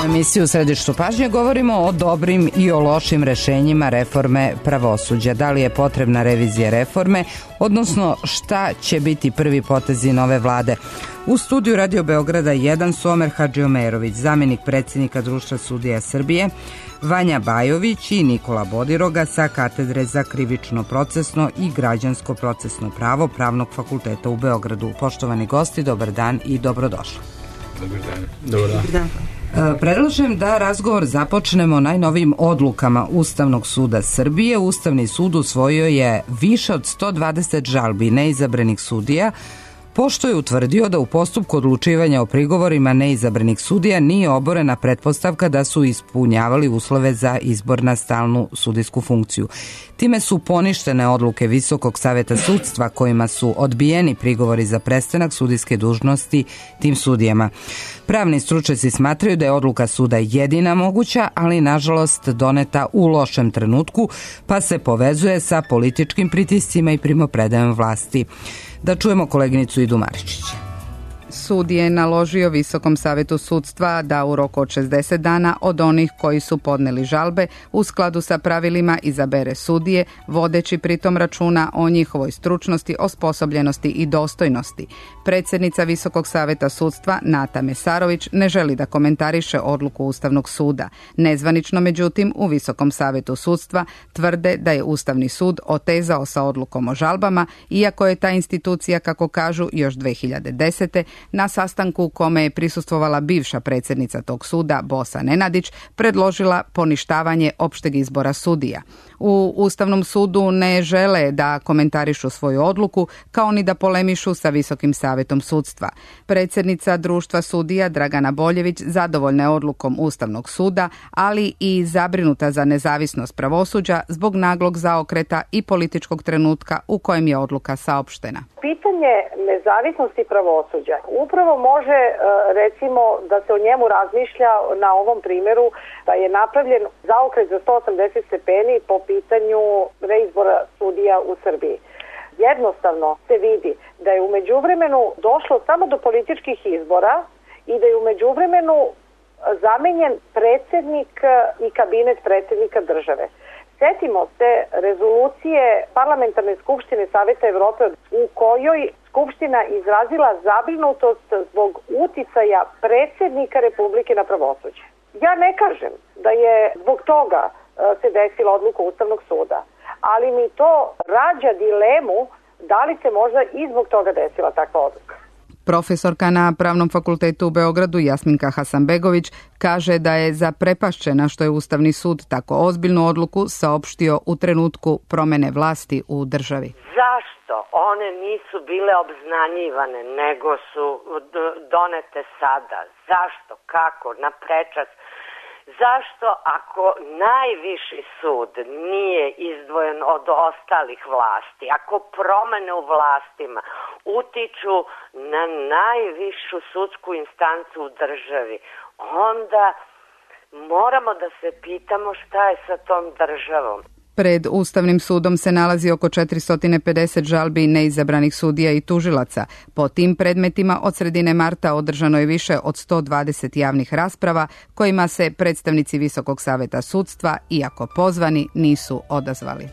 emisiji U središtu pažnje govorimo o dobrim i o lošim rešenjima reforme pravosuđa. Da li je potrebna revizija reforme, odnosno šta će biti prvi potezi nove vlade? U studiju Radio Beograda 1 su Omer Hadžiomerović, zamenik predsjednika Društva sudija Srbije, Vanja Bajović i Nikola Bodiroga sa katedre za krivično procesno i građansko procesno pravo Pravnog fakulteta u Beogradu. Poštovani gosti, dobar dan i dobrodošli. Dobar dan. Dobar dan. Predlažem da razgovor započnemo najnovijim odlukama Ustavnog suda Srbije. Ustavni sud usvojio je više od 120 žalbi neizabranih sudija, pošto je utvrdio da u postupku odlučivanja o prigovorima neizabranih sudija nije oborena pretpostavka da su ispunjavali uslove za izbor na stalnu sudijsku funkciju. Time su poništene odluke Visokog saveta sudstva kojima su odbijeni prigovori za prestanak sudijske dužnosti tim sudijama. Pravni stručnjaci smatraju da je odluka suda jedina moguća, ali nažalost doneta u lošem trenutku, pa se povezuje sa političkim pritiscima i primopredajom vlasti. Da čujemo koleginicu Idu Maričića. Sud je naložio Visokom savetu sudstva da u roku od 60 dana od onih koji su podneli žalbe u skladu sa pravilima izabere sudije, vodeći pritom računa o njihovoj stručnosti, osposobljenosti i dostojnosti. Predsjednica Visokog saveta sudstva Nata Mesarović ne želi da komentariše odluku Ustavnog suda. Nezvanično, međutim, u Visokom savetu sudstva tvrde da je Ustavni sud otezao sa odlukom o žalbama, iako je ta institucija, kako kažu, još 2010. na sastanku u kome je prisustvovala bivša predsjednica tog suda, Bosa Nenadić, predložila poništavanje opšteg izbora sudija. U Ustavnom sudu ne žele da komentarišu svoju odluku, kao ni da polemišu sa Visokim savetom sudstva. Predsjednica Društva sudija Dragana Boljević zadovoljna je odlukom Ustavnog suda, ali i zabrinuta za nezavisnost pravosuđa zbog naglog zaokreta i političkog trenutka u kojem je odluka saopštena. Pitanje nezavisnosti pravosuđa upravo može, recimo, da se o njemu razmišlja na ovom primjeru, da je napravljen zaokret za 180 stepeni po pitanju reizbora sudija u Srbiji. Jednostavno se vidi da je u međuvremenu došlo samo do političkih izbora i da je u međuvremenu zamenjen predsjednik i kabinet predsjednika države. Sjetimo se rezolucije Parlamentarne skupštine Saveta Evrope u kojoj Skupština izrazila zabrinutost zbog uticaja predsjednika Republike na pravosuđe. Ja ne kažem da je zbog toga se desila odluka Ustavnog suda, ali mi to rađa dilemu da li se možda i zbog toga desila takva odluka. Profesorka na Pravnom fakultetu u Beogradu Jasminka Hasanbegović kaže da je zaprepašćena što je Ustavni sud tako ozbiljnu odluku saopštio u trenutku promjene vlasti u državi. Zašto one nisu bile obznanjivane, nego su donete sada? Zašto? Kako? Na prečac? Zašto ako najviši sud nije izdvojen od ostalih vlasti, ako promjene u vlastima utiču na najvišu sudsku instancu u državi, onda moramo da se pitamo šta je sa tom državom. Pred Ustavnim sudom se nalazi oko 450 žalbi neizabranih sudija i tužilaca. Po tim predmetima od sredine marta održano je više od 120 javnih rasprava kojima se predstavnici Visokog saveta sudstva, iako pozvani, nisu odazvali.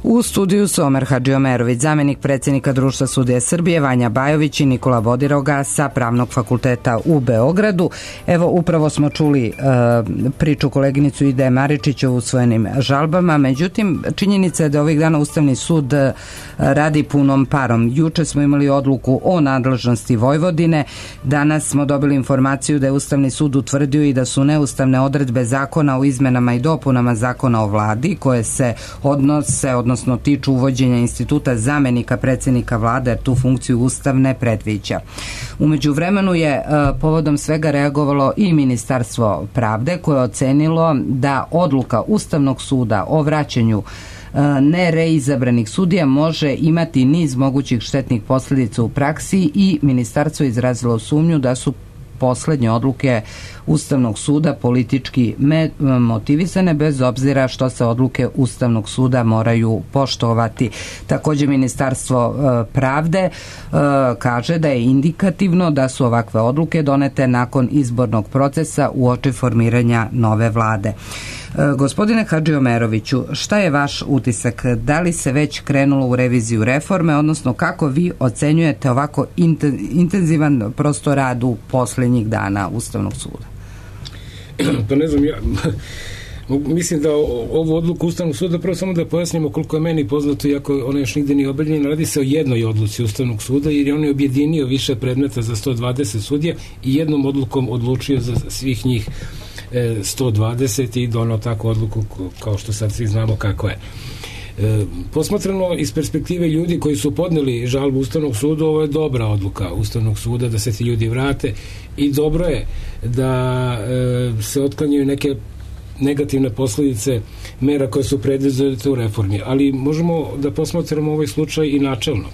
U studiju su Omer Hadžiomerović, zamenik predsjednika Društva sudija Srbije, Vanja Bajović i Nikola Bodiroga sa Pravnog fakulteta u Beogradu. Evo, upravo smo čuli priču koleginicu Ide Maričića o usvojenim žalbama, međutim, činjenica je da ovih dana Ustavni sud radi punom parom. Juče smo imali odluku o nadležnosti Vojvodine, danas smo dobili informaciju da je Ustavni sud utvrdio i da su neustavne odredbe zakona o izmenama i dopunama zakona o vladi, koje se odnosno tiču uvođenja instituta zamenika predsjednika vlade, jer tu funkciju Ustav ne predviđa. U međuvremenu je povodom svega reagovalo i Ministarstvo pravde, koje je ocenilo da odluka Ustavnog suda o vraćanju nereizabranih sudija može imati niz mogućih štetnih posljedica u praksi i ministarstvo je izrazilo sumnju da su poslednje odluke Ustavnog suda politički motivisane, bez obzira što se odluke Ustavnog suda moraju poštovati. Takođe, Ministarstvo pravde kaže da je indikativno da su ovakve odluke donete nakon izbornog procesa uoči formiranja nove vlade. Gospodine Hadžiomeroviću, šta je vaš utisak? Da li se već krenulo u reviziju reforme, odnosno kako vi ocenjujete ovako intenzivan prosto rad u poslednjih dana Ustavnog suda? Pa ne znam, ja mislim da ovu odluku Ustavnog suda, prvo samo da pojasnimo koliko je meni poznato, iako ona još nigde nije objavljena, radi se o jednoj odluci Ustavnog suda, jer je on je objedinio više predmeta za 120 sudija i jednom odlukom odlučio za svih njih 120 i donao takvu odluku kao što sad svi znamo kako je. Posmatrano iz perspektive ljudi koji su podneli žalbu Ustavnog suda, ovo je dobra odluka Ustavnog suda da se ti ljudi vrate i dobro je da se otklanjaju neke negativne posledice mera koje su predviđene u reformi, ali možemo da posmatramo ovaj slučaj i načelno.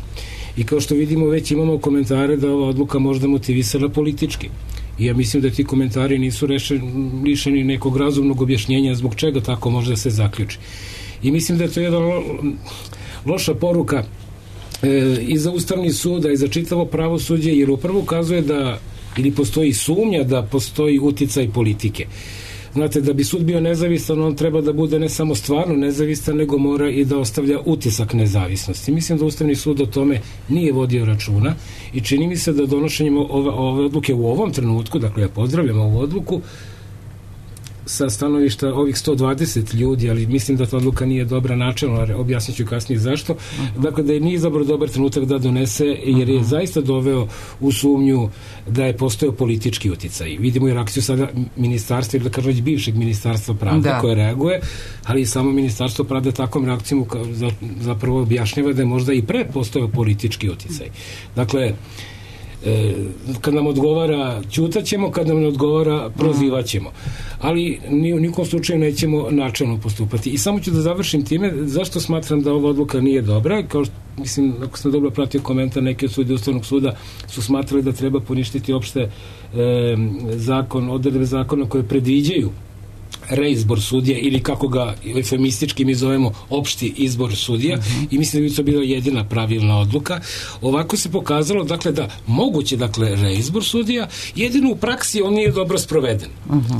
I kao što vidimo, već imamo komentare da ova odluka možda motivisana politički. I ja mislim da ti komentari nisu lišeni nekog razumnog objašnjenja zbog čega tako može da se zaključi. I mislim da je to jedna loša poruka i za Ustavni sud, i za čitavo pravosuđe, jer upravo ukazuje da ili postoji sumnja da postoji uticaj politike. Znate, da bi sud bio nezavistan, on treba da bude ne samo stvarno nezavistan, nego mora i da ostavlja utisak nezavisnosti. Mislim da Ustavni sud o tome nije vodio računa i čini mi se da donošenjem ove odluke u ovom trenutku, dakle ja pozdravljam ovu odluku, sa stanovišta ovih 120 ljudi, ali mislim da ta odluka nije dobra načelno, objasnit ću kasnije zašto. Dakle, da je nije izabrao dobar trenutak da donese, jer je zaista doveo u sumnju da je postojao politički uticaj. Vidimo i reakciju sada ministarstva, ili da kažem već bivšeg ministarstva pravde koje reaguje, ali i samo ministarstvo pravde takvom reakcijom zapravo objašnjava da je možda i pre postojao politički uticaj. Dakle, kad nam odgovara ćutaćemo, kad nam ne odgovara prozivaćemo, ali ni u nikom slučaju nećemo načelno postupati. I samo ću da završim time zašto smatram da ova odluka nije dobra. Kao što, mislim, ako sam dobro pratio komentar, neki od sudija Ustavnog suda su smatrali da treba poništiti opšte odredbe zakona koje predviđaju reizbor sudija, ili kako ga eufemistički mi zovemo opšti izbor sudija, i mislim da bi to bila jedina pravilna odluka. Ovako se pokazalo, dakle, da moguće, dakle, reizbor sudija, jedino u praksi on nije dobro sproveden.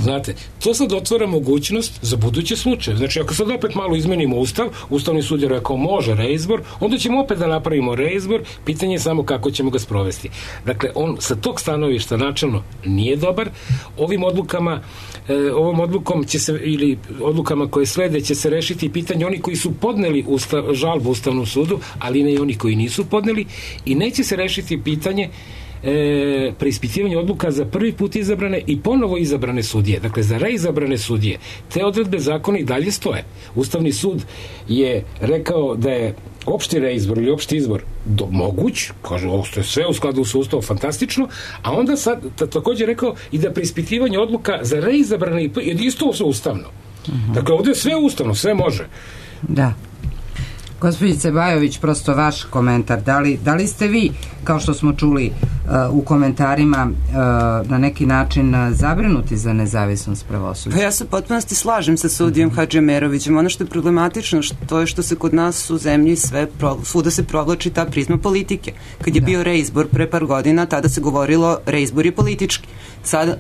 Znate, to sad otvara mogućnost za buduće slučaje. Znači, ako sad opet malo izmenimo Ustav, Ustavni sud je rekao može reizbor, onda ćemo opet da napravimo reizbor, pitanje je samo kako ćemo ga sprovesti. Dakle, on sa tog stanovišta načelno nije dobar. Ovom odlukom će se, ili odlukama koje slede, će se rešiti pitanje oni koji su podneli žalbu Ustavnom sudu, ali ne i oni koji nisu podneli, i neće se rešiti pitanje preispitivanje odluka za prvi put izabrane i ponovo izabrane sudije. Dakle, za reizabrane sudije te odredbe zakona i dalje stoje. Ustavni sud je rekao da je opšti reizbor ili opšti izbor moguć, kaže, ovo je sve u skladu sa Ustavom, fantastično, a onda sad također rekao i da preispitivanje odluka za reizabrane je isto ustavno. Dakle, ovdje je sve ustavno, sve može. Da. Gospođice Bajović, prosto vaš komentar, da li ste vi, kao što smo čuli u komentarima, na neki način zabrinuti za nezavisnost pravosuđa? Pa ja se potpunosti slažem sa sudijom Hadžiomerovićem. Ono što je problematično, to je što se kod nas u zemlji svuda se provlači ta prizma politike. Kad je bio reizbor pre par godina, tada se govorilo reizbor je politički. Sada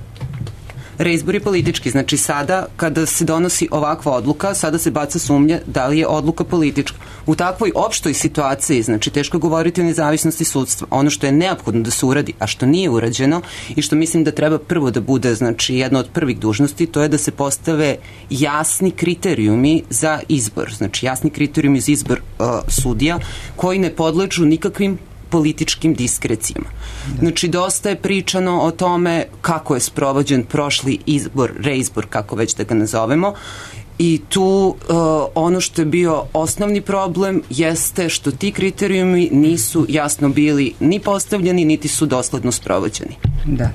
reizbor je politički, znači sada kada se donosi ovakva odluka, sada se baca sumnja da li je odluka politička. U takvoj opštoj situaciji, znači teško govoriti o nezavisnosti sudstva. Ono što je neophodno da se uradi, a što nije urađeno i što mislim da treba prvo da bude, znači jedna od prvih dužnosti, to je da se postave jasni kriterijumi za izbor, znači jasni kriterijumi za izbor sudija koji ne podležu nikakvim političkim diskrecijama. Znači, dosta je pričano o tome kako je sprovođen prošli izbor, reizbor, kako već da ga nazovemo, i tu ono što je bio osnovni problem jeste što ti kriterijumi nisu jasno bili ni postavljeni, niti su dosledno sprovođeni. Da.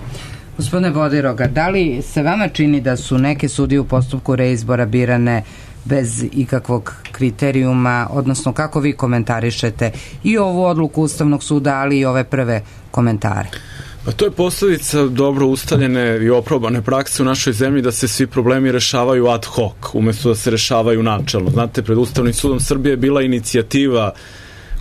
Gospodine Vodiroga, da li se vama čini da su neke sudije u postupku reizbora birane bez ikakvog kriterijuma, odnosno kako vi komentarišete i ovu odluku Ustavnog suda, ali i ove prve komentare? Pa to je posljedica dobro ustaljene i oprobane prakse u našoj zemlji da se svi problemi rešavaju ad hoc, umjesto da se rešavaju načelno. Znate, pred Ustavnim sudom Srbije je bila inicijativa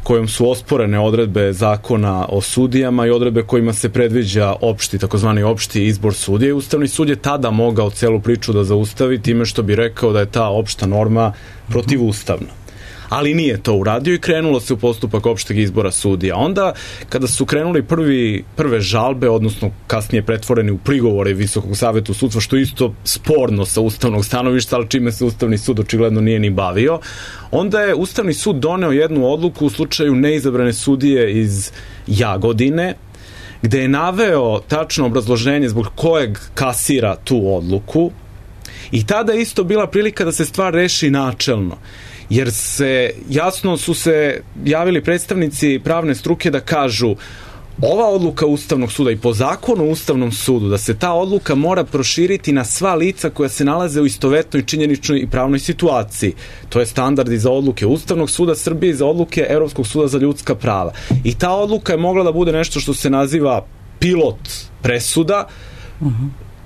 kojom su osporene odredbe zakona o sudijama i odredbe kojima se predviđa takozvani opšti izbor sudija. Ustavni sud je tada mogao celu priču da zaustavi time što bi rekao da je ta opšta norma protivustavna. Ali nije to uradio i krenulo se u postupak opšteg izbora sudija. Onda, kada su krenuli prve žalbe, odnosno kasnije pretvoreni u prigovore Visokog saveta sudstva, što je isto sporno sa ustavnog stanovišta, ali čime se Ustavni sud očigledno nije ni bavio, onda je Ustavni sud doneo jednu odluku u slučaju neizabrane sudije iz Jagodine, gde je naveo tačno obrazloženje zbog kojeg kasira tu odluku i tada je isto bila prilika da se stvar reši načelno. Jer jasno su se javili predstavnici pravne struke da kažu ova odluka Ustavnog suda i po zakonu o Ustavnom sudu da se ta odluka mora proširiti na sva lica koja se nalaze u istovetnoj činjeničnoj i pravnoj situaciji. To je standard i za odluke Ustavnog suda Srbije i za odluke Evropskog suda za ljudska prava. I ta odluka je mogla da bude nešto što se naziva pilot presuda,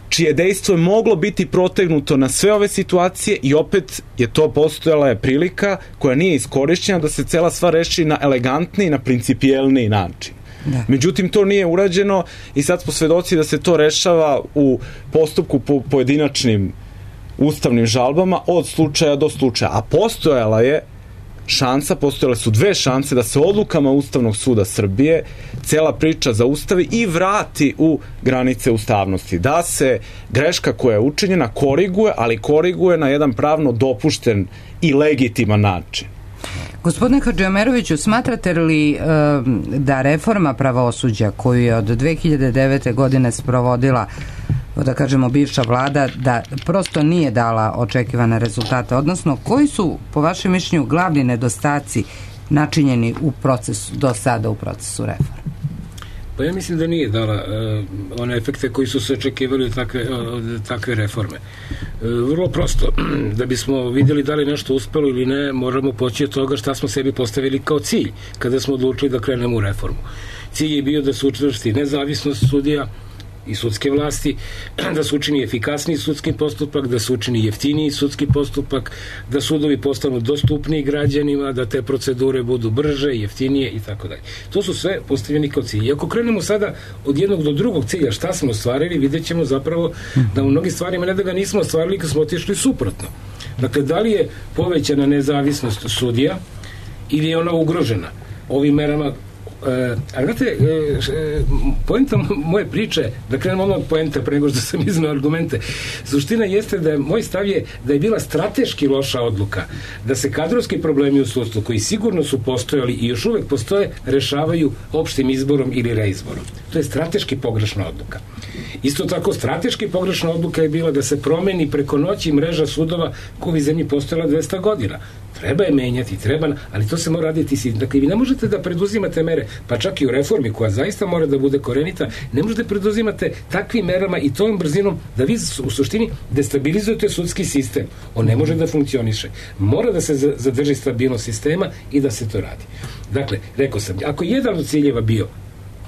čije dejstvo je moglo biti protegnuto na sve ove situacije i opet je to postojala je prilika koja nije iskorišćena da se cela stvar reši na elegantniji, na principijelniji način. Da. Međutim, to nije urađeno i sad smo svedoci da se to rešava u postupku po pojedinačnim ustavnim žalbama od slučaja do slučaja. A postojale su dve šanse da se odlukama Ustavnog suda Srbije cela priča zaustavi i vrati u granice ustavnosti. Da se greška koja je učinjena koriguje, ali koriguje na jedan pravno dopušten i legitiman način. Gospodine Hadžiomeroviću, smatrate li da reforma pravosuđa koju je od 2009. godine sprovodila, da kažemo, bivša vlada, da prosto nije dala očekivane rezultate, odnosno koji su po vašem mišljenju glavni nedostaci načinjeni u procesu, do sada u procesu reforme? Pa ja mislim da nije dala one efekte koji su se očekivali od takve reforme. Vrlo prosto, da bismo vidjeli da li nešto uspelo ili ne, moramo poći od toga šta smo sebi postavili kao cilj kada smo odlučili da krenemo u reformu. Cilj je bio da se učvrsti nezavisnost sudija i sudske vlasti, da se učini efikasniji sudski postupak, da se učini jeftiniji sudski postupak, da sudovi postanu dostupniji građanima, da te procedure budu brže, jeftinije i tako dalje. To su sve postavljeni kao cilj. I ako krenemo sada od jednog do drugog cilja, šta smo ostvarili, vidjet ćemo zapravo da u mnogim stvarima ne da ga nismo ostvarili kad smo otišli suprotno. Dakle, da li je povećana nezavisnost sudija ili je ona ugrožena ovim merama. A znate, poenta moje priče, da krenemo odmah od poenta pre nego što sam iznao argumente, suština jeste da moj stav je da je bila strateški loša odluka da se kadrovski problemi u sudstvu, koji sigurno su postojali i još uvek postoje, rešavaju opštim izborom ili reizborom. To je strateški pogrešna odluka. Isto tako, strateški pogrešna odluka je bila da se promeni preko noći mreža sudova koja u zemlji postojala 200 godina. Treba je menjati, ali to se mora raditi. Dakle, vi ne možete da preduzimate mere, pa čak i u reformi koja zaista mora da bude korenita, ne možete da preduzimate takvim merama i tom brzinom da vi u suštini destabilizujete sudski sistem. On ne može da funkcioniše. Mora da se zadrži stabilnost sistema i da se to radi. Dakle, rekao sam, ako jedan od ciljeva bio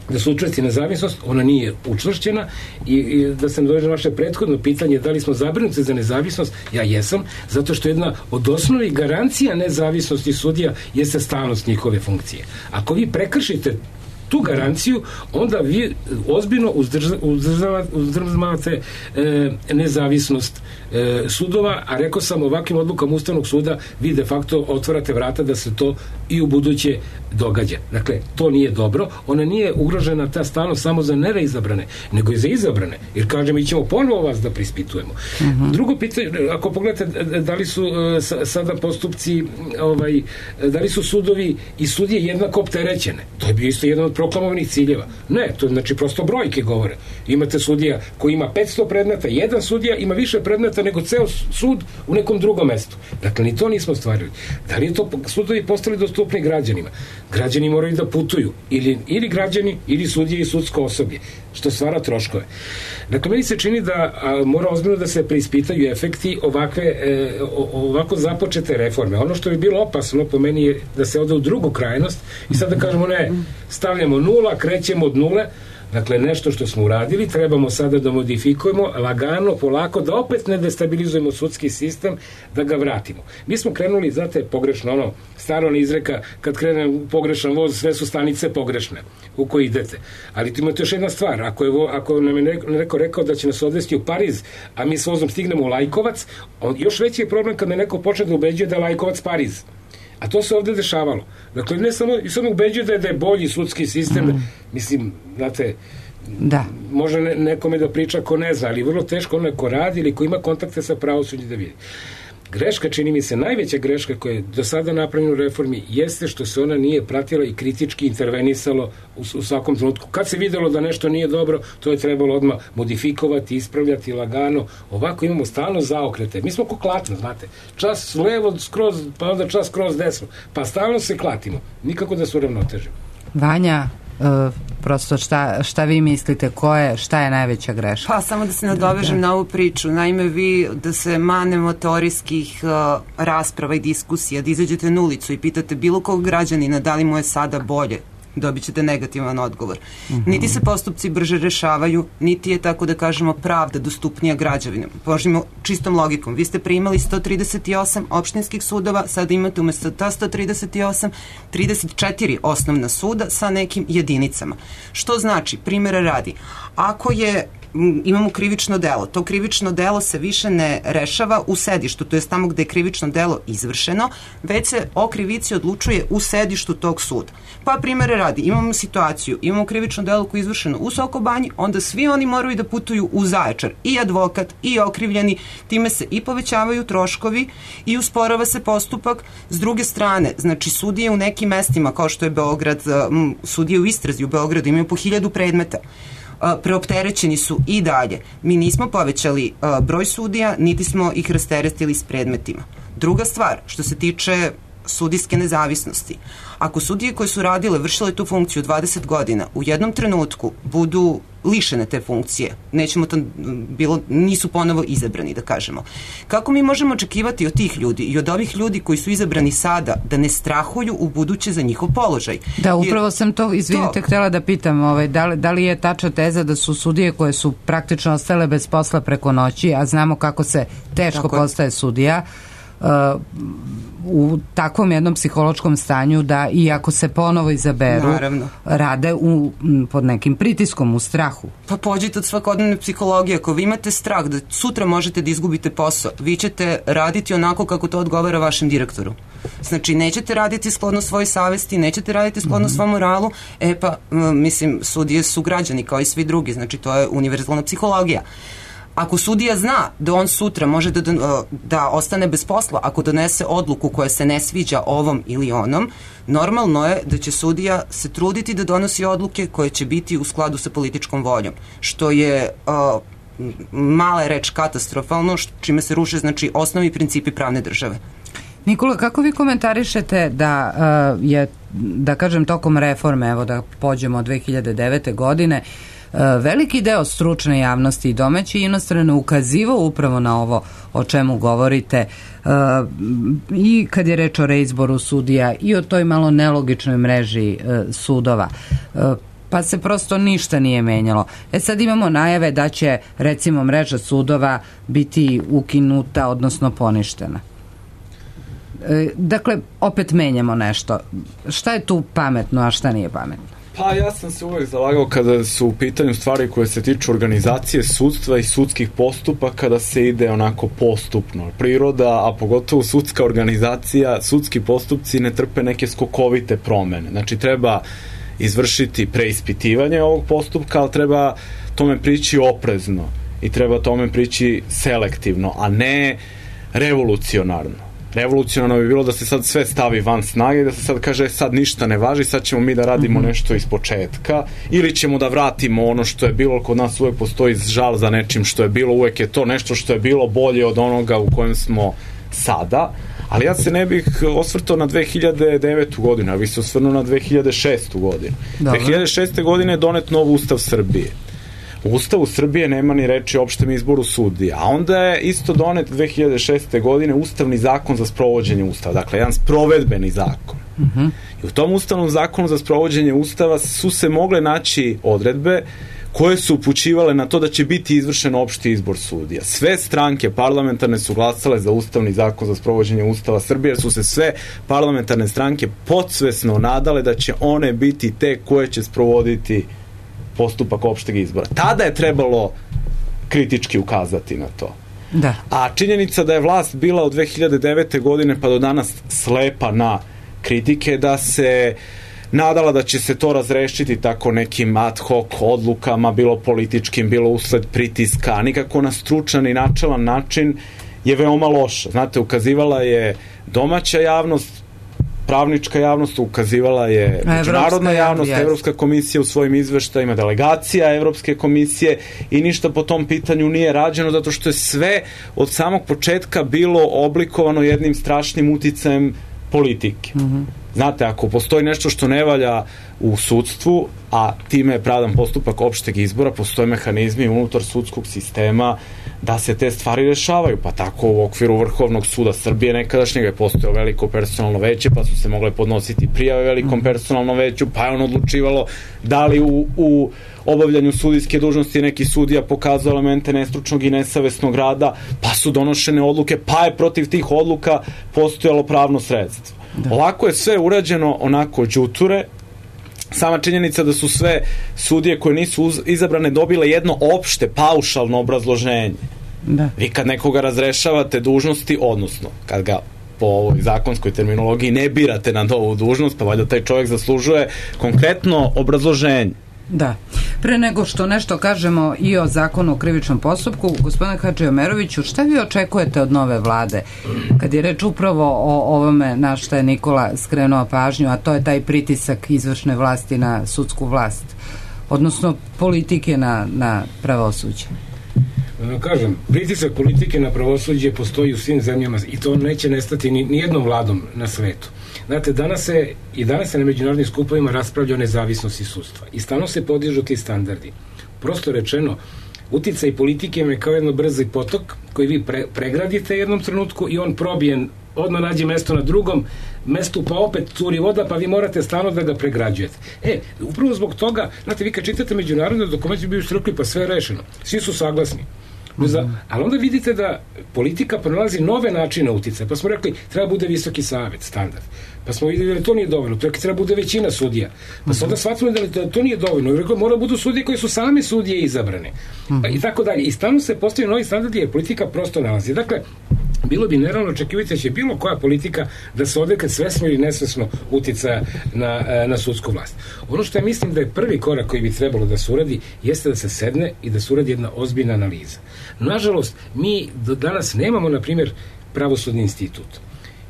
da se učvrsti nezavisnost, ona nije učvršćena i da sam dođe na vaše prethodno pitanje da li smo zabrinuti za nezavisnost, ja jesam, zato što jedna od osnovnih garancija nezavisnosti sudija jeste stalnost njihove funkcije. Ako vi prekršite tu garanciju, onda vi ozbiljno uzdržavate nezavisnost sudova, a rekao sam, ovakvim odlukama Ustavnog suda vi de facto otvarate vrata da se to i u buduće događa. Dakle, to nije dobro. Ona nije ugrožena, ta stalnost, samo za nereizabrane, nego i za izabrane. Jer kažem, mi ćemo ponovo vas da prispitujemo. Drugo pitanje, ako pogledate da li su sada postupci, da li su sudovi i sudije jednako opterećene, to je bio isto jedan od proklamovanih ciljeva. Ne, to znači prosto brojke govore. Imate sudija koji ima 500 predmeta, jedan sudija ima više predmeta nego ceo sud u nekom drugom mestu. Dakle, ni to nismo stvarili. Da li je to sudovi postali dostupni građanima? Građani moraju da putuju. Ili građani, ili sudije i sudsko osoblje, što stvara troškove. Dakle, meni se čini da mora ozbiljno da se preispitaju efekti ovako započete reforme. Ono što bi bilo opasno po meni je da se ode u drugu krajnost i sad da kažemo ne, stavljamo nula, krećemo od nule, Dakle, nešto što smo uradili trebamo sada da modifikujemo lagano, polako, da opet ne destabilizujemo sudski sistem, da ga vratimo. Mi smo krenuli, znate, pogrešno, staro ne izreka, kad krene pogrešan voz, sve su stanice pogrešne u koje idete. Ali tu imate još jedna stvar, ako nam je neko rekao da će nas odvesti u Pariz, a mi s vozom stignemo u Lajkovac, još veći je problem kad me neko počne da ubeđuje da je Lajkovac Pariz. A to se ovde dešavalo. Dakle, ne samo, i samo ubeđuje da je bolji sudski sistem, mislim, znate, da. Može nekome da priča ko ne zna, ali vrlo teško onaj ko radi ili ko ima kontakte sa pravosuđem da vidi. Greška, čini mi se, najveća greška koja je do sada napravljena u reformi jeste što se ona nije pratila i kritički intervenisalo u svakom trenutku. Kad se videlo da nešto nije dobro, to je trebalo odmah modifikovati, ispravljati lagano. Ovako imamo stalno zaokrete. Mi smo ko klatno, znate. Čas levo skroz, pa onda čas skroz desno. Pa stalno se klatimo. Nikako da se uravnotežimo. Vanja, prosto šta vi mislite, šta je najveća greška? Pa samo da se nadovežem na ovu priču. Naime, vi da se manemo teorijskih rasprava i diskusija, da izađete na ulicu i pitate bilo kog građanina da li mu je sada bolje, dobit ćete negativan odgovor. Niti se postupci brže rešavaju, niti je, tako da kažemo, pravda dostupnija građanima. Požimo čistom logikom. Vi ste primali 138 opštinskih sudova, sada imate umesto ta 138 34 osnovna suda sa nekim jedinicama. Što znači, primjera radi, ako imamo krivično delo, to krivično delo se više ne rešava u sedištu, to je tamo gde je krivično delo izvršeno, već se o krivici odlučuje u sedištu tog suda. Pa primjere radi, imamo situaciju, imamo krivično delo koje je izvršeno u Sokobanji, onda svi oni moraju da putuju u Zaječar, i advokat, i okrivljeni, time se i povećavaju troškovi i usporava se postupak. S druge strane, znači sudije u nekim mestima, kao što je Beograd, sudije u istrazi u Beogradu imaju po 1000 predmeta. Preopterećeni su i dalje. Mi nismo povećali broj sudija, niti smo ih rasteretili s predmetima. Druga stvar, što se tiče sudijske nezavisnosti. Ako sudije koje su radile, vršile tu funkciju 20 godina, u jednom trenutku budu lišene te funkcije, nisu ponovo izabrani, da kažemo. Kako mi možemo očekivati od tih ljudi i od ovih ljudi koji su izabrani sada da ne strahuju u buduće za njihov položaj? Da, upravo sam to, izvinite, htjela da pitam, da li je tačna teza da su sudije koje su praktično ostale bez posla preko noći, a znamo kako se teško postaje sudija, u takvom jednom psihološkom stanju da i ako se ponovo izaberu, rade pod nekim pritiskom, u strahu. Pa pođite od svakodnevne psihologije. Ako vi imate strah da sutra možete da izgubite posao, vi ćete raditi onako kako to odgovara vašem direktoru. Znači, nećete raditi skladno svojoj savesti, nećete raditi skladno svom moralu, mislim, sudije su građani kao i svi drugi, znači to je univerzalna psihologija. Ako sudija zna da on sutra može da ostane bez posla, ako donese odluku koja se ne sviđa ovom ili onom, normalno je da će sudija se truditi da donosi odluke koje će biti u skladu sa političkom voljom, što je mala je reč katastrofalno, čime se ruše, znači, osnovni principi pravne države. Nikola, kako vi komentarišete da je, da kažem, tokom reforme, evo da pođemo od 2009. godine, veliki deo stručne javnosti i domaće i inostrane ukazivao upravo na ovo o čemu govorite, i kad je reč o reizboru sudija i o toj malo nelogičnoj mreži sudova, pa se prosto ništa nije menjalo. Sad imamo najave da će, recimo, mreža sudova biti ukinuta, odnosno poništena. Dakle, opet menjamo nešto. Šta je tu pametno, a šta nije pametno? Pa ja sam se uvek zalagao kada su u pitanju stvari koje se tiču organizacije sudstva i sudskih postupaka da se ide onako postupno. Priroda, a pogotovo sudska organizacija, sudski postupci ne trpe neke skokovite promene. Znači treba izvršiti preispitivanje ovog postupka, ali treba tome prići oprezno i treba tome prići selektivno, a ne revolucionarno. Revolucionarno bi bilo da se sad sve stavi van snage i da se sad kaže sad ništa ne važi, sad ćemo mi da radimo nešto iz početka ili ćemo da vratimo ono što je bilo. Kod nas uvek postoji žal za nečim što je bilo, uvek je to nešto što je bilo bolje od onoga u kojem smo sada, ali ja se ne bih osvrtao na 2009. godinu, ja bih se osvrnuo na 2006. godinu. 2006. godine je donet nov Ustav Srbije. U Ustavu Srbije nema ni reči o opštem izboru sudija, a onda je isto donet 2006. godine Ustavni zakon za sprovođenje Ustava, dakle jedan sprovedbeni zakon. I u tom ustavnom zakonu za sprovođenje ustava su se mogle naći odredbe koje su upućivale na to da će biti izvršen opšti izbor sudija. Sve stranke parlamentarne su glasale za ustavni zakon za sprovođenje Ustava Srbije, jer su se sve parlamentarne stranke podsvesno nadale da će one biti te koje će sprovoditi postupak opšteg izbora. Tada je trebalo kritički ukazati na to. Da. A činjenica da je vlast bila od 2009. godine pa do danas slepa na kritike, da se nadala da će se to razrešiti tako nekim ad hoc odlukama, bilo političkim, bilo usled pritiska, a nikako na stručan i načelan način, je veoma loša. Znate, ukazivala je domaća javnost, pravnička javnost, ukazivala je međunarodna javnost, Evropska komisija u svojim izveštajima, delegacija Evropske komisije, i ništa po tom pitanju nije rađeno, zato što je sve od samog početka bilo oblikovano jednim strašnim uticajem politike. Znate, ako postoji nešto što ne valja u sudstvu, a time je pravdan postupak opšteg izbora, postoje mehanizmi unutar sudskog sistema da se te stvari rešavaju. Pa tako u okviru Vrhovnog suda Srbije nekadašnjega je postojalo veliko personalno veće, pa su se mogle podnositi prijave velikom personalnom veću, pa je ono odlučivalo da li u obavljanju sudijske dužnosti neki sudija pokazao elemente nestručnog i nesavesnog rada, pa su donošene odluke, pa je protiv tih odluka postojalo pravno sredstvo. Ovako je sve urađeno onako đuture. Sama činjenica da su sve sudije koje nisu izabrane dobile jedno opšte, paušalno obrazloženje. Da. Vi kad nekoga razrešavate dužnosti, odnosno kad ga po ovoj zakonskoj terminologiji ne birate na novu dužnost, pa valjda taj čovjek zaslužuje konkretno obrazloženje. Da. Pre nego što nešto kažemo i o zakonu o krivičnom postupku, gospodine Hadžiomeroviću, šta vi očekujete od nove vlade? Kad je reč upravo o ovome na što je Nikola skrenuo pažnju, a to je taj pritisak izvršne vlasti na sudsku vlast, odnosno politike na pravosuđe. Kažem, pritisak politike na pravosuđe postoji u svim zemljama i to neće nestati ni jednom vladom na svetu. Znate, danas se na međunarodnim skupovima raspravlja o nezavisnosti sudstva i stalno se podižu ti standardi. Prosto rečeno, uticaj politike je kao jedno brzi potok koji vi pregradite jednom trenutku i on probijen, odmah nađe mesto na drugom mestu, pa opet curi voda, pa vi morate stalno da ga pregrađujete. Upravo zbog toga, znate, vi kad čitate međunarodne dokumente bi rekli, pa sve je rešeno, svi su saglasni. Ali onda vidite da politika pronalazi nove načine uticaja, pa smo rekli treba bude visoki savet, standard, pa smo videli da to nije dovoljno, treba bude većina sudija, pa smo onda shvatili da to nije dovoljno, i rekli mora budu sudije koji su same sudije izabrane, i tako dalje, i stalno se postavljaju novi standardi jer politika prosto nalazi. Dakle, bilo bi nerealno očekivati da će bilo koja politika da se odrekne svesno ili nesvesno uticaja na sudsku vlast. Ono što ja mislim da je prvi korak koji bi trebalo da se uradi jeste da se sedne i da se uradi jedna ozbiljna analiza. Nažalost, mi do danas nemamo, na primjer, pravosudni institut.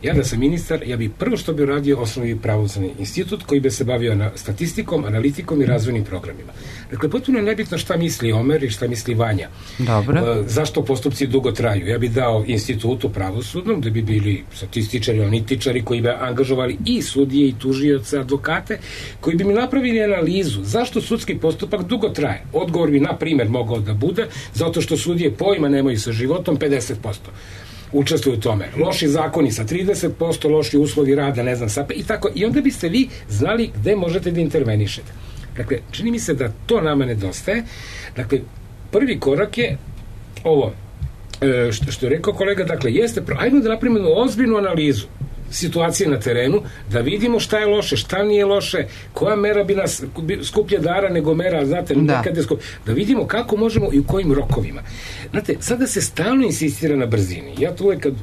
Ja da sam ministar, ja bi prvo što bi uradio osnovni pravosudni institut koji bi se bavio statistikom, analitikom i razvojnim programima. Dakle, potpuno je nebitno šta misli Omer i šta misli Vanja. Dobro. Zašto postupci dugo traju? Ja bi dao institutu pravosudnom da bi bili statističari, analitičari koji bi angažovali i sudije i tužioce, advokate, koji bi mi napravili analizu zašto sudski postupak dugo traje. Odgovor bi, na primjer, mogao da bude zato što sudije pojma nemaju sa životom 50%. Učestvuju u tome. Loši zakoni sa 30%, loši uslovi rada, ne znam, i tako. I onda biste vi znali gde možete da intervenišete. Dakle, čini mi se da to nama nedostaje. Dakle, prvi korak je ovo, što je rekao kolega, dakle, ajmo da napravimo ozbiljnu analizu situacije na terenu, da vidimo šta je loše, šta nije loše, koja mera bi nas skuplje dara nego mera, znate, da vidimo kako možemo i u kojim rokovima. Znate, sada se stalno insistira na brzini. Ja to uvek, kad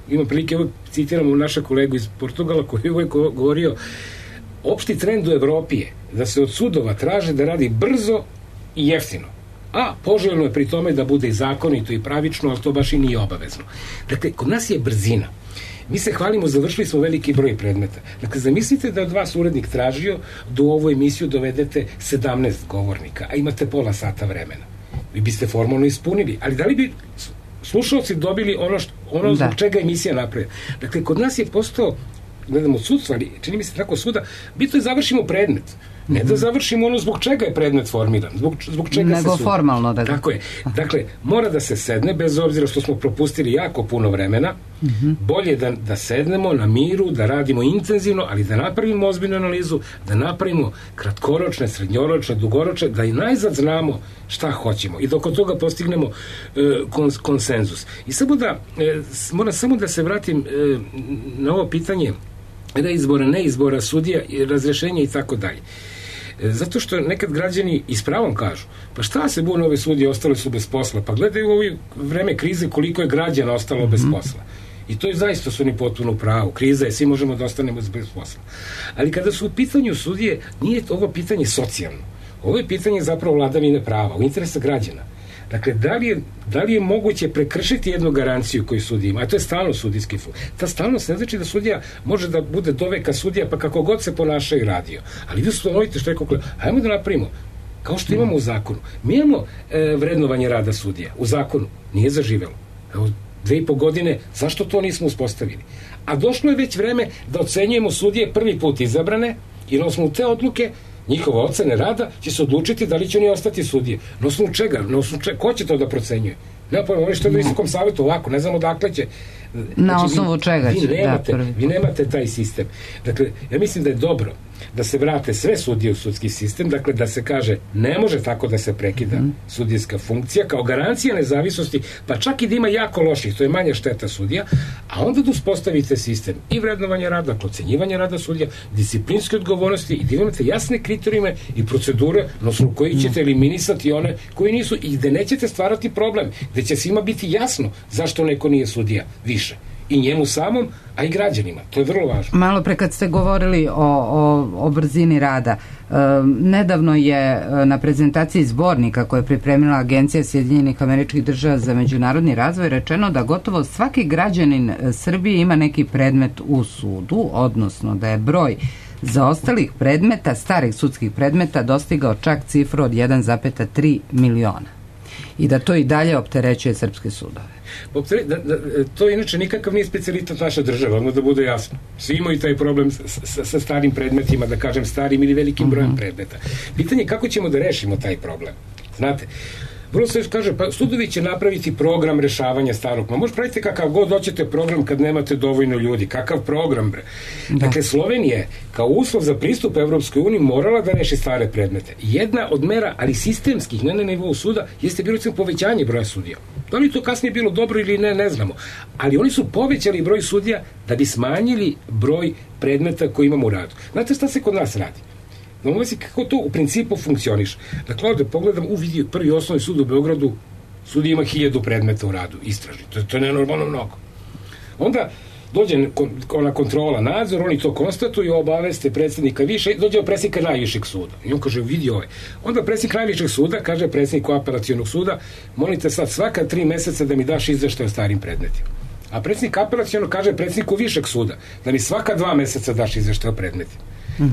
imam prilike, uvek citiram našeg kolegu iz Portugala koji je uvek govorio, opšti trend u Evropi je da se od sudova traže da radi brzo i jeftino. A poželjno je pri tome da bude i zakonito i pravično, ali to baš i nije obavezno. Dakle, kod nas je brzina. Mi se hvalimo, završili smo veliki broj predmeta. Dakle, zamislite da od vas urednik tražio da u ovu emisiju dovedete 17 govornika, a imate pola sata vremena. Vi biste formalno ispunili, ali da li bi slušalci dobili ono zbog čega emisija napravlja? Dakle, kod nas je postao, gledamo od sudstva, ali čini mi se tako svuda, bitno je završimo predmet. Ne da završimo ono zbog čega je predmet formiran, zbog čega nego se formalno da ga... Tako je. Dakle, mora da se sedne, bez obzira što smo propustili jako puno vremena, bolje da sednemo na miru, da radimo intenzivno, ali da napravimo ozbiljnu analizu, da napravimo kratkoročne, srednjoročne, dugoročne, da i najzad znamo šta hoćemo i dok od toga postignemo konsenzus. I moram samo da se vratim na ovo pitanje reizbora, neizbora sudija, razrešenja i tako dalje. Zato što nekad građani i s pravom kažu, pa šta se bune ove sudije, ostale su bez posla, pa gledaju u ovo vreme krize koliko je građana ostalo bez posla. I to je zaista su oni potpuno u pravu. Kriza je, svi možemo da ostanemo bez posla. Ali kada su u pitanju sudije, nije ovo pitanje socijalno. Ovo je pitanje zapravo vladavine prava, u interesa građana. Dakle, da li je moguće prekršiti jednu garanciju koju sudija ima, a to je stalnost sudijski fond. Ta stalnost ne znači da sudija može da bude doveka sudija, pa kako god se ponaša i radio. Ali vi ustanovite što je kako... Hajmo da napravimo, kao što imamo u zakonu. Mi imamo vrednovanje rada sudija. U zakonu nije zaživelo. Evo, 2,5 godine, zašto to nismo uspostavili? A došlo je već vreme da ocenjujemo sudije prvi put izabrane i na osnovu te odluke njihova ocene rada će se odlučiti da li će oni ostati sudije. Na osnovu čega? Ko će to da procenjuje? Nema pojma, oni što je u Visokom savetu ovako, ne znamo dakle će... Na osnovu čega će? Vi nemate taj sistem. Dakle, ja mislim da je dobro da se vrate sve sudije u sudski sistem, dakle da se kaže ne može tako da se prekida sudijska funkcija kao garancija nezavisnosti, pa čak i da ima jako loših, to je manja šteta sudija, a onda da uspostavite sistem i vrednovanja rada, ocenjivanja rada sudija, disciplinske odgovornosti i da imate jasne kriterijume i procedure na osnovu koji ćete eliminisati one koji nisu i gde nećete stvarati problem, gde će svima biti jasno zašto neko nije sudija više. I njemu samom, a i građanima. To je vrlo važno. Malo pre kad ste govorili o brzini rada, nedavno je na prezentaciji zbornika koje je pripremila Agencija Sjedinjenih Američkih Država za međunarodni razvoj rečeno da gotovo svaki građanin Srbije ima neki predmet u sudu, odnosno da je broj zaostalih predmeta, starih sudskih predmeta dostigao čak cifru od 1,3 miliona. I da to i dalje opterećuje srpske sudove. To inače nikakav nije specijalitet naša država, ono da bude jasno. Svi imaju taj problem sa starim predmetima, da kažem starim ili velikim brojem predmeta. Pitanje je kako ćemo da rešimo taj problem. Znate, vrlo se kaže, pa sudovi će napraviti program rešavanja starog. Može praviti kakav god hoćete program kad nemate dovoljno ljudi. Kakav program, bre? Dakle, Slovenija kao uslov za pristup Evropskoj uniji morala da reši stare predmete. Jedna od mera, ali sistemskih, ne na nivou suda, jeste bilo povećanje broja sudija. Da li to kasnije bilo dobro ili ne znamo. Ali oni su povećali broj sudija da bi smanjili broj predmeta koji imamo u radu. Znate šta se kod nas radi? Da mu kako to u principu funkcioniš. Dakle, ovdje pogledam, vidi prvi osnovni sud u Beogradu, sudija ima 1000 predmeta u radu, istražni. To je nenormalno mnogo. Onda dođe ona kontrola, nadzor, oni to konstatuju, obaveste predsjednika više, dođe predsjednika najvišeg suda. I on kaže, vidi ovaj. Onda predsjednik najvišeg suda kaže predsjedniku apelacionog suda, molite sad svaka 3 meseca da mi daš izveštaj o starim predmetima. A predsjednik apelacionog kaže predsjedniku višeg suda da mi svaka 2 meseca daš izveštaj o predmetima.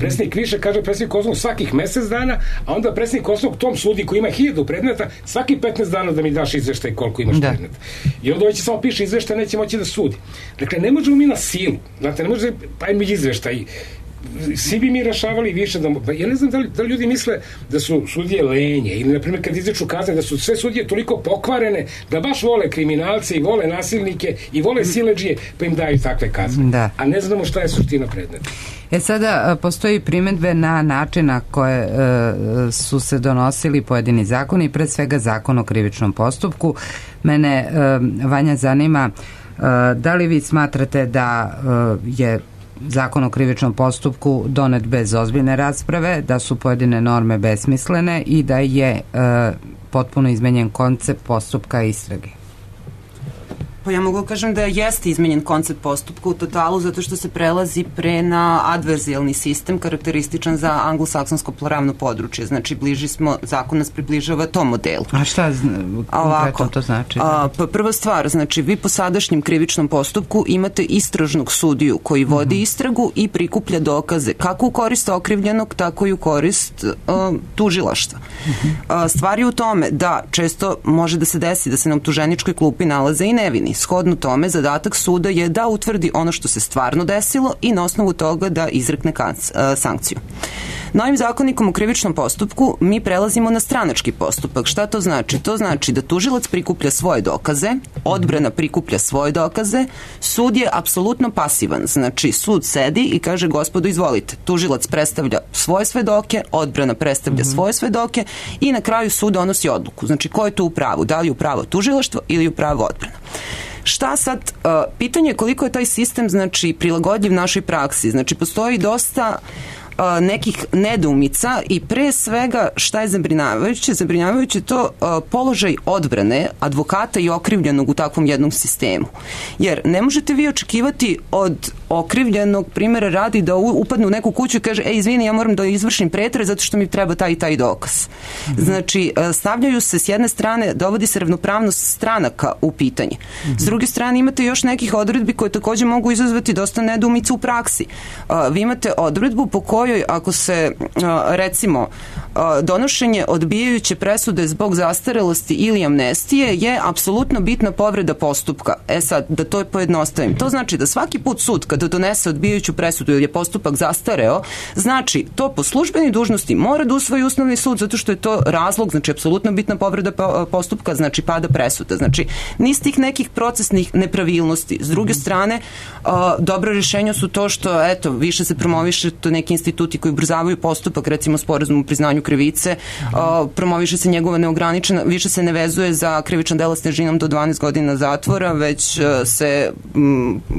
Predsjednik više kaže predsjednik osnovnog svakih mjesec dana, a onda predsjednik osnovnog tom sudi koji ima 1000 predmeta svaki 15 dana da mi daš izveštaj koliko imaš predmeta. I onda će samo piše izveštaj, neće moći da sudi. Dakle, ne možemo mi na silu, znate, ne može pa mi izveštaj. Svi bi mi rešavali više ja ne znam da li ljudi misle da su sudije lenje ili na primjer kad izreču kazne da su sve sudije toliko pokvarene da baš vole kriminalce i vole nasilnike i vole siledžije pa im daju takve kazne, a ne znamo šta je suština predmeta. Sada postoji primedbe na način na koje su se donosili pojedini zakoni, pre svega zakon o krivičnom postupku. Mene, Vanja, zanima da li vi smatrate da je zakon o krivičnom postupku donet bez ozbiljne rasprave, da su pojedine norme besmislene i da je potpuno izmenjen koncept postupka istrage? Pa ja mogu kažem da jeste izmenjen koncept postupka u totalu zato što se prelazi pre na adverzijalni sistem karakterističan za anglosaksonsko pravno područje. Znači, zakon nas približava tom modelu. A šta konkretno to znači? Prva stvar, znači, vi po sadašnjem krivičnom postupku imate istražnog sudiju koji vodi istragu i prikuplja dokaze kako u korist okrivljenog, tako i u korist tužilaštva. Stvar je u tome da često može da se desi da se na optuženičkoj klupi nalaze i nevini Shodno tome, zadatak suda je da utvrdi ono što se stvarno desilo i na osnovu toga da izrekne sankciju. Novim zakonikom o krivičnom postupku mi prelazimo na stranački postupak. Šta to znači? To znači da tužilac prikuplja svoje dokaze, odbrana prikuplja svoje dokaze, sud je apsolutno pasivan. Znači, sud sedi i kaže, gospodo, izvolite. Tužilac predstavlja svoje svedoke, odbrana predstavlja svoje svedoke i na kraju sud donosi odluku. Znači, ko je tu u pravu? Da li je u pravu tužilaštvo ili je u pravu odbrana? Šta sad? Pitanje je koliko je taj sistem, znači, prilagodljiv našoj praksi. Znači, postoji dosta nekih nedoumica i pre svega šta je zabrinjavajuće? Zabrinjavajuće to položaj odbrane advokata i okrivljenog u takvom jednom sistemu. Jer ne možete vi očekivati od okrivljenog, primjera radi, da upadne u neku kuću i kaže, izvini, ja moram da izvršim pretres zato što mi treba taj i taj dokaz. Znači, stavljaju se s jedne strane, dovodi se ravnopravnost stranaka u pitanje. S druge strane, imate još nekih odredbi koje takođe mogu izazvati dosta nedoumica u praksi. Vi imate odredbu po kojoj ako se, recimo, donošenje odbijajuće presude zbog zastarelosti ili amnestije je apsolutno bitna povreda postupka. Sad, da to pojednostavim. To znači da svaki put sud kada donese odbijajuću presudu ili je postupak zastareo, znači to po službenoj dužnosti mora da usvoji Ustavni sud zato što je to razlog, znači apsolutno bitna povreda postupka, znači pada presuda. Znači, niz tih nekih procesnih nepravilnosti. S druge strane, dobro rješenje su to što, eto, više se promoviše to neki instituti koji ubrzavaju postupak, recimo sporazum o priznanju krivice, promoviše se njegova neograničena, više se ne vezuje za krivičan dela s težinom do 12 godina zatvora, već se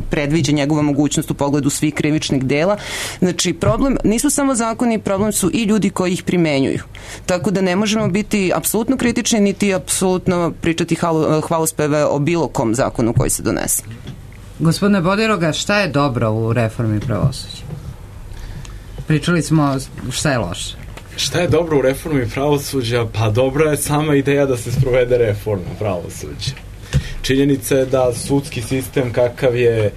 predviđa njegova mogućnost u pogledu svih krivičnih dela. Znači, problem nisu samo zakoni, problem su i ljudi koji ih primenjuju. Tako da ne možemo biti apsolutno kritični, niti apsolutno pričati hvalospeve o bilo kom zakonu koji se donese. Gospodine Bodiroga, šta je dobro u reformi pravosuđa? Pričali smo šta je loše. Šta je dobro u reformi pravosuđa? Pa dobra je sama ideja da se sprovede reforma pravosuđa. Činjenica je da sudski sistem kakav je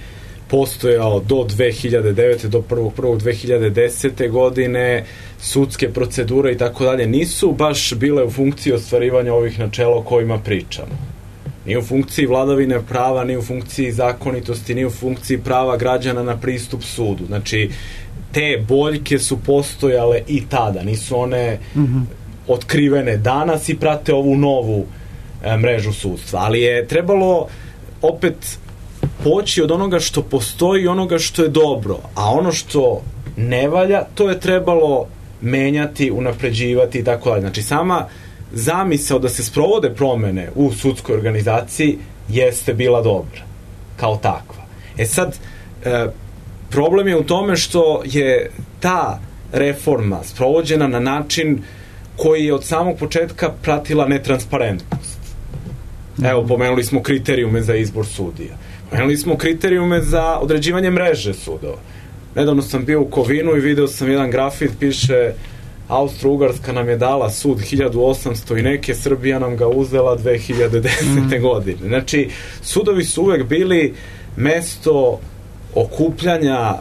postojao do 2009. do 1.1.2010. godine, sudske procedure i tako dalje, nisu baš bile u funkciji ostvarivanja ovih načela o kojima pričamo. Ni u funkciji vladavine prava, ni u funkciji zakonitosti, ni u funkciji prava građana na pristup sudu. Znači, te boljke su postojale i tada, nisu one otkrivene danas i prate ovu novu mrežu sudstva. Ali je trebalo opet poći od onoga što postoji i onoga što je dobro, a ono što ne valja, to je trebalo menjati, unapređivati i tako dalje. Znači, sama zamisao da se sprovode promene u sudskoj organizaciji jeste bila dobra, kao takva. Sad, problem je u tome što je ta reforma sprovođena na način koji je od samog početka pratila netransparentnost. Evo, pomenuli smo kriterijume za izbor sudija. Pomenuli smo kriterijume za određivanje mreže sudova. Nedavno sam bio u Kovinu i video sam jedan grafit, piše Austro-Ugarska nam je dala sud 1800 i neke, Srbija nam ga uzela 2010. godine. Znači, sudovi su uvek bili mesto okupljanja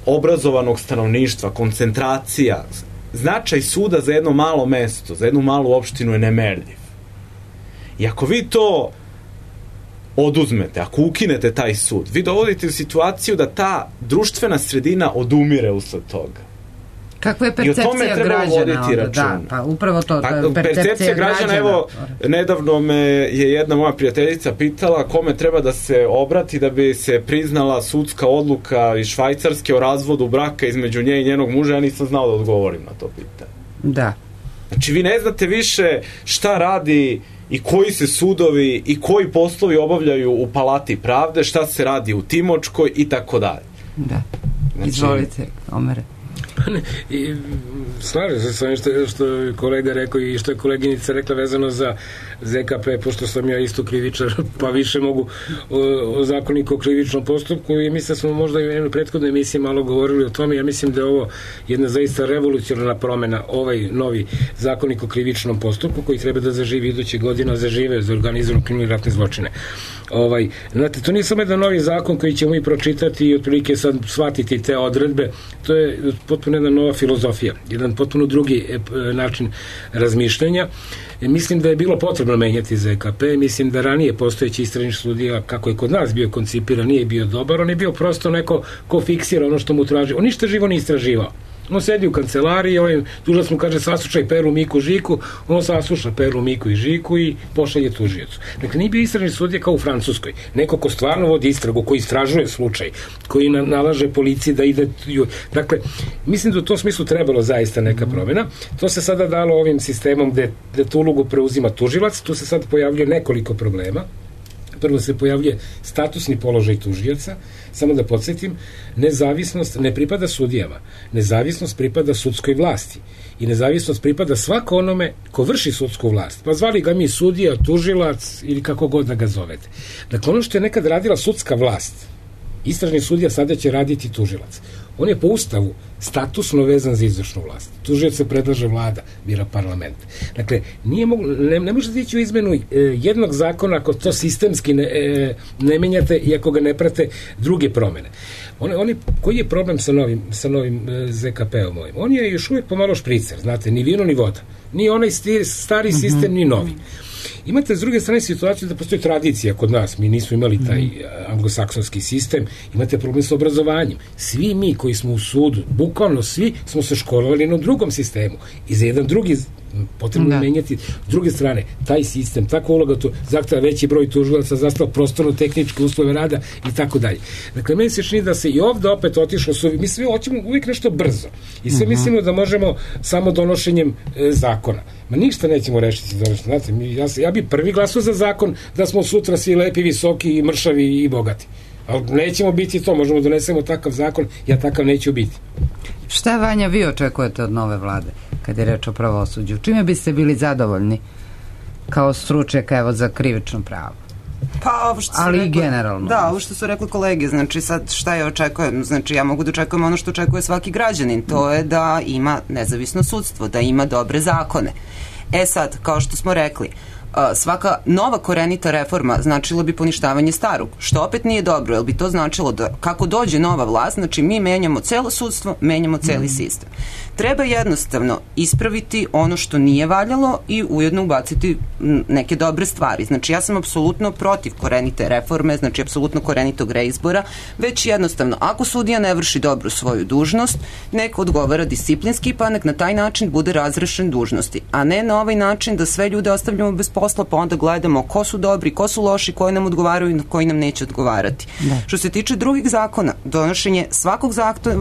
obrazovanog stanovništva, koncentracija. Značaj suda za jedno malo mesto, za jednu malu opštinu je nemerljiv. I ako vi to oduzmete, ako ukinete taj sud, vi dovodite u situaciju da ta društvena sredina odumire usled toga. Kakva je percepcija građana onda? Da, pa upravo to, percepcija građana. Evo, nedavno me je jedna moja prijateljica pitala kome treba da se obrati da bi se priznala sudska odluka iz Švajcarske o razvodu braka između nje i njenog muža. Ja nisam znao da odgovorim na to pitanje. Da. Znači, vi ne znate više šta radi i koji se sudovi i koji poslovi obavljaju u Palati pravde, šta se radi u Timočkoj i tako dalje. Da. Znači, izvolite, Omere. Slažem se sa ovim što je kolega rekao i što je koleginica rekla vezano za ZKP, pošto sam ja isto krivičar, pa više mogu o zakoniku o krivičnom postupku i mislim da smo možda i u jednoj prethodnoj emisiji malo govorili o tome. Ja mislim da je ovo jedna zaista revolucionarna promena, ovaj novi zakonik o krivičnom postupku koji treba da zaživi iduće godina, zažive za organizovanu kriminalne ratne zločine. Znate, to nije samo jedan novi zakon koji ćemo mi pročitati i otprilike sad shvatiti te odredbe, to je potpuno jedna nova filozofija, jedan potpuno drugi način razmišljanja. Mislim da je bilo potrebno menjati ZKP, mislim da ranije postojeći istražni sudija, kako je kod nas bio koncipiran, nije bio dobar, on je bio prosto neko ko fiksira ono što mu traži. On ništa živo ne istraživao. On sedi u kancelariji, tužilac mu kaže saslušaj Peru, Miku, Žiku, on sasluša Peru, Miku i Žiku i pošalje tužiocu. Dakle, nije bio istražni sudija kao u Francuskoj. Neko ko stvarno vodi istragu, koji istražuje slučaj, koji nalaže policiji da ide... Dakle, mislim da u tom smislu trebalo zaista neka promjena. To se sada dalo ovim sistemom gde tu ulogu preuzima tužilac, tu se sad pojavljuje nekoliko problema. Prvo se pojavljuje statusni položaj tužioca, samo da podsjetim, nezavisnost ne pripada sudijama, nezavisnost pripada sudskoj vlasti i nezavisnost pripada svako onome ko vrši sudsku vlast. Pa zvali ga mi sudija, tužilac ili kako god da ga zovete. Dakle, ono što je nekad radila sudska vlast, istražni sudija sada će raditi tužilac. On je po ustavu statusno vezan za izvršnu vlast. Tužioc se predlaže vlada, bira parlament. Dakle, ne možete ići u izmenu jednog zakona ako to sistemski ne menjate i ako ga ne prate druge promene. Koji je problem sa novim ZKP-om ovim? On je još uvijek pomalo špricer, znate, ni vino ni voda. Ni onaj stari sistem, ni novi. Imate s druge strane situaciju da postoji tradicija kod nas, mi nismo imali taj anglosaksonski sistem, imate problem sa obrazovanjem. Svi mi koji smo u sudu, bukvalno svi smo se školovali na drugom sistemu i za jedan drugi potrebno menjati. S druge strane, taj sistem, takva uloga to zahteva veći broj tužilaca, zahteva prostorno-tehničke uslove rada i tako dalje. Dakle, meni se čini da se i ovde opet otišlo mi sve hoćemo uvijek nešto brzo i sve mislimo da možemo samo donošenjem zakona. Ma ništa nećemo rešiti donošenjem. Znate, ja bi prvi glasao za zakon da smo sutra svi lepi, visoki, mršavi i bogati. Ali nećemo biti to, možemo donesemo takav zakon, ja takav neću biti. Šta, Vanja, vi očekujete od nove vlade kad je reč o pravosuđu? Čime biste bili zadovoljni kao stručnjaka, evo, za krivično pravo? Pa, ali i generalno. Da, ovo što su rekli kolege, znači sad šta ja očekujem, znači ja mogu da očekujem ono što očekuje svaki građanin, to je da ima nezavisno sudstvo, da ima dobre zakone. Sad, kao što smo rekli, svaka nova korenita reforma značilo bi poništavanje starog, što opet nije dobro, jer bi to značilo da kako dođe nova vlast, znači mi menjamo celo sudstvo, menjamo celi sistem. Treba jednostavno ispraviti ono što nije valjalo i ujedno ubaciti neke dobre stvari. Znači ja sam apsolutno protiv korenite reforme, znači apsolutno korenitog reizbora, već jednostavno ako sudija ne vrši dobro svoju dužnost, nek odgovara disciplinski, pa nek na taj način bude razrešen dužnosti, a ne na ovaj način da sve ljude ostavljamo bez posla, pa onda gledamo ko su dobri, ko su loši, koji nam odgovaraju i koji nam neće odgovarati. Što se tiče drugih zakona, donošenje svakog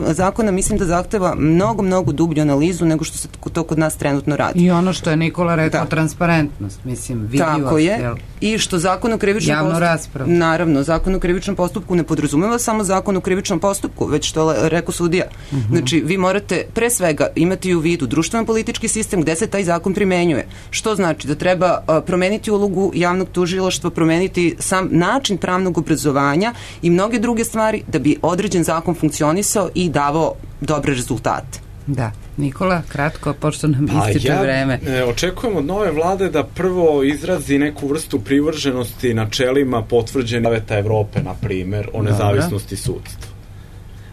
zakona mislim da zahteva mnogo dublju analizu nego što se to kod nas trenutno radi. I ono što je Nikola rekao, transparentnost, mislim, vidljivost. Tako je. I što zakon o krivičnom javnu raspravu. Naravno, zakon o krivičnom postupku ne podrazumeva samo zakon o krivičnom postupku, već što rekao sudija. Znači, vi morate pre svega imati u vidu društveno-politički sistem gde se taj zakon primenjuje. Što znači da treba promeniti ulogu javnog tužilaštva, promeniti sam način pravnog obrazovanja i mnoge druge stvari da bi određen zakon funkcionisao i davao dobre rezultate. Da. Nikola, kratko, pošto nam ističe vreme. Očekujem od nove vlade da prvo izrazi neku vrstu privrženosti načelima potvrđenih Saveta Evrope, na primer, o nezavisnosti sudstva.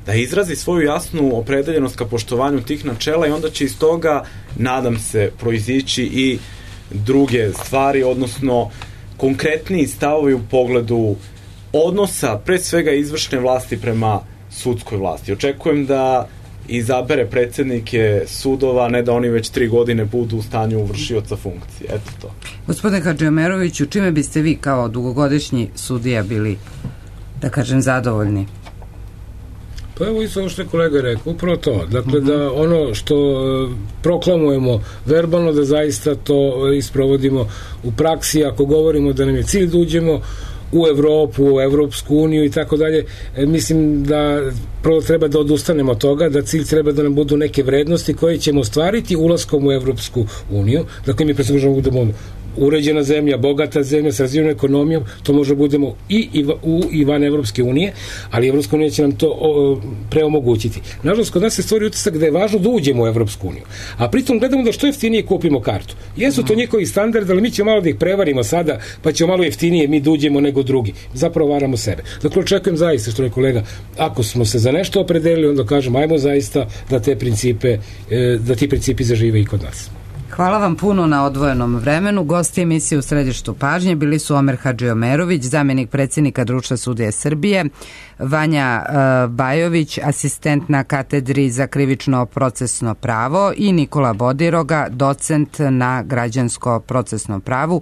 Da izrazi svoju jasnu opredeljenost ka poštovanju tih načela i onda će iz toga, nadam se, proizići i druge stvari, odnosno konkretniji stavovi u pogledu odnosa, pre svega izvršne vlasti prema sudskoj vlasti. Očekujem da izabere predsjednike sudova, ne da oni već 3 godine budu u stanju vršioca funkcije. Eto to. Gospodine Hadžiomeroviću, čime biste vi kao dugogodišnji sudija bili, da kažem, zadovoljni? Pa evo isto ovo što je kolega rekao, upravo to. Dakle, da ono što proklamujemo verbalno, da zaista to isprovodimo u praksi, ako govorimo da nam je cilj da uđemo u Evropu, u Evropsku uniju i tako dalje, mislim da prvo treba da odustanemo od toga, da cilj treba da nam budu neke vrednosti koje ćemo ostvariti ulaskom u Evropsku uniju. Dakle, mi predstavljamo da budemo uređena zemlja, bogata zemlja, s razvijenom ekonomijom, to možda budemo i van Evropske unije, ali Evropska unija će nam to preomogućiti. Nažalost, kod nas se stvori utisak da je važno da uđemo u Evropsku uniju, a pritom gledamo da što jeftinije kupimo kartu. Jesu to njihovi standardi, ali mi ćemo malo da ih prevarimo sada, pa ćemo malo jeftinije mi da uđemo nego drugi. Zapravo varamo sebe. Dakle, očekujem zaista, što je kolega, ako smo se za nešto opredelili, onda kažemo, ajmo zaista da ti principi zažive i kod nas. Hvala vam puno na odvojenom vremenu. Gosti emisije U središtu pažnje bili su Omer Hadžiomerović, zamenik predsjednika Društva sudija Srbije, Vanja Bajović, asistent na katedri za krivično procesno pravo i Nikola Bodiroga, docent na građansko procesnom pravu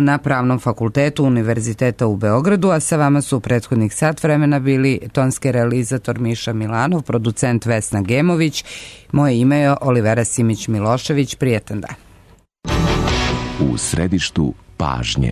na Pravnom fakultetu Univerziteta u Beogradu, a sa vama su u prethodnih sat vremena bili tonski realizator Miša Milanov, producent Vesna Gemović. Moje ime je Olivera Simić Milošević. Prijetan dan. U središtu pažnje.